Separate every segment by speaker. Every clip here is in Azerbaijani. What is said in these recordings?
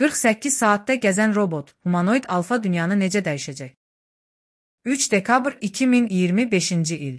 Speaker 1: 48 saatdə gəzən robot, humanoid alfa dünyanı necə dəyişəcək? 3 dekabr 2025-ci il.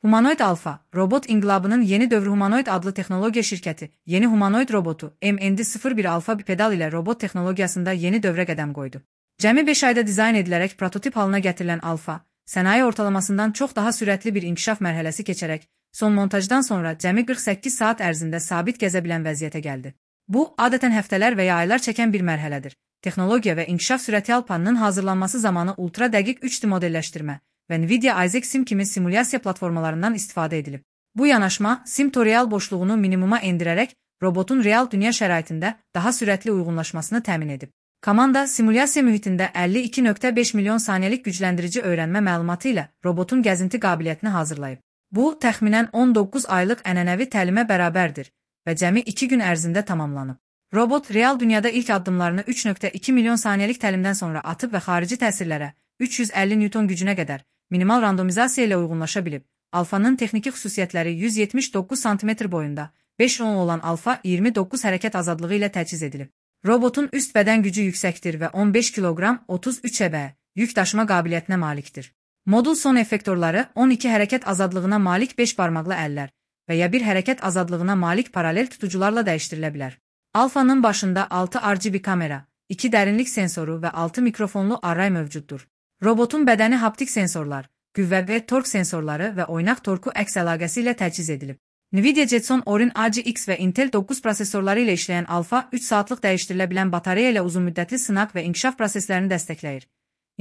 Speaker 1: Humanoid alfa, robot inqilabının yeni dövrü Humanoid adlı texnologiya şirkəti, yeni humanoid robotu MND-01 alfa bipedal ilə robot texnologiyasında yeni dövrə qədəm qoydu. Cəmi 5 ayda dizayn edilərək prototip halına gətirilən alfa, sənaye ortalamasından çox daha sürətli bir inkişaf mərhələsi keçərək, son montajdan sonra cəmi 48 saat ərzində sabit gəzə bilən vəziyyətə gəldi. Bu, adətən həftələr və ya aylar çəkən bir mərhələdir. Texnologiya və inkişaf sürəti alfanın hazırlanması zamanı ultra dəqiq 3D modelləşdirmə və Nvidia Isaac Sim kimi simulyasiya platformalarından istifadə edilib. Bu yanaşma, sim-to-real boşluğunu minimuma endirərək, robotun real dünya şəraitində daha sürətli uyğunlaşmasını təmin edib. Komanda, simulyasiya mühitində 52.5 milyon saniyəlik gücləndirici öyrənmə məlumatı ilə robotun gəzinti qabiliyyətini hazırlayıb. Bu, təxminən 19 aylıq ənənəvi təlimə bərabərdir və cəmi 2 gün ərzində tamamlanıb. Robot, real dünyada ilk addımlarını 3.2 milyon saniyəlik təlimdən sonra atıb və xarici təsirlərə 350 Newton gücünə qədər minimal randomizasiya ilə uyğunlaşa bilib. Alfanın texniki xüsusiyyətləri 179 sm boyunda, 5 on olan alfa 29 hərəkət azadlığı ilə təchiz edilib. Robotun üst bədən gücü yüksəkdir və 15 kiloqram 33 əbə yük daşıma qabiliyyətinə malikdir. Modul son effektorları 12 hərəkət azadlığına malik 5 barmaqlı əllər və ya bir hərəkət azadlığına malik paralel tutucularla dəyişdirilə bilər. Alfanın başında 6 RGB kamera, 2 dərinlik sensoru və 6 mikrofonlu array mövcuddur. Robotun bədəni haptik sensorlar, qüvvə və tork sensorları və oynaq torku əks əlaqəsi ilə təchiz edilib. Nvidia Jetson Orin RGX və Intel 9 prosesorları ilə işləyən alfa 3 saatlıq dəyişdirilə bilən batareya ilə uzunmüddətli sınaq və inkişaf proseslərini dəstəkləyir.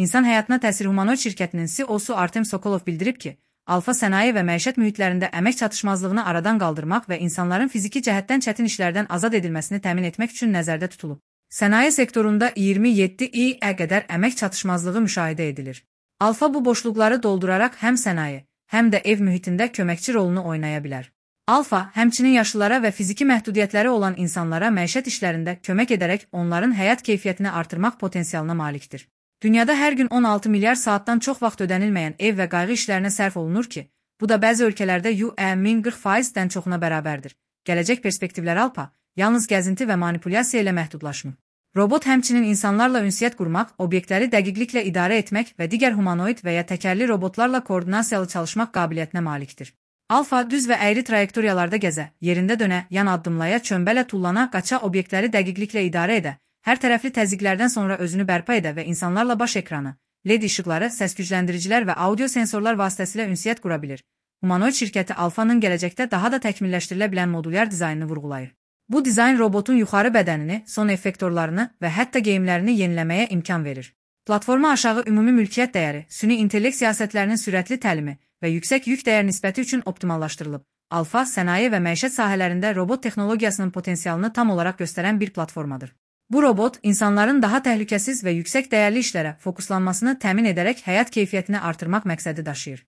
Speaker 1: İnsan həyatına təsir humanoid şirkətinin CEO-su Artem Sokolov bildirib ki, alfa sənaye və məişət mühitlərində əmək çatışmazlığını aradan qaldırmaq və insanların fiziki cəhətdən çətin işlərdən azad edilməsini təmin etmək üçün nəzərdə tutulub. Sənaye sektorunda 27 il-ə qədər əmək çatışmazlığı müşahidə edilir. Alfa bu boşluqları dolduraraq həm sənaye, həm də ev mühitində köməkçi rolunu oynaya bilər. Alfa, həmçinin yaşlılara və fiziki məhdudiyyətləri olan insanlara məişət işlərində kömək edərək onların həyat keyfiyyətini artırmaq potensialına malikdir. Dünyada hər gün 16 milyar saatdan çox vaxt ödənilməyən ev və qayğı işlərinə sərf olunur ki, bu da bəzi ölkələrdə UN 40%-dən çoxuna bərabərdir. Gələcək perspektivlər alfa, yalnız gəzinti və manipulyasiya ilə məhdudlaşmır. Robot həmçinin insanlarla ünsiyyət qurmaq, obyektləri dəqiqliklə idarə etmək və digər humanoid və ya təkərli robotlarla koordinasiyalı çalışmaq qabiliyyətinə malikdir. Alfa düz və əyri trayektoriyalarda gəzə, yerində dönə, yan addımlaya, çömbələ tullana, qaça obyektləri dəqiqliklə idarə edə, hər tərəfli təzyiqlərdən sonra özünü bərpa edə və insanlarla baş ekranı, LED işıqları, səs gücləndiricilər və audio sensorlar vasitəsilə ünsiyyət qura bilir. Humanoid şirkəti alfanın gələcəkdə daha da təkmilləşdirilə bilən modulyar dizaynını vurğulayır. Bu dizayn robotun yuxarı bədənini, son effektorlarını və hətta geyimlərini yeniləməyə imkan verir. Platforma aşağı ümumi mülkiyyət dəyəri, süni intellekt siyasətlərinin sürətli təlimi və yüksək yük dəyər nisbəti üçün optimallaşdırılıb. Alfa, sənaye və məişət sahələrində robot texnologiyasının potensialını tam olaraq göstərən bir platformadır. Bu robot, insanların daha təhlükəsiz və yüksək dəyərli işlərə fokuslanmasını təmin edərək həyat keyfiyyətini artırmaq məqsədi daşıyır.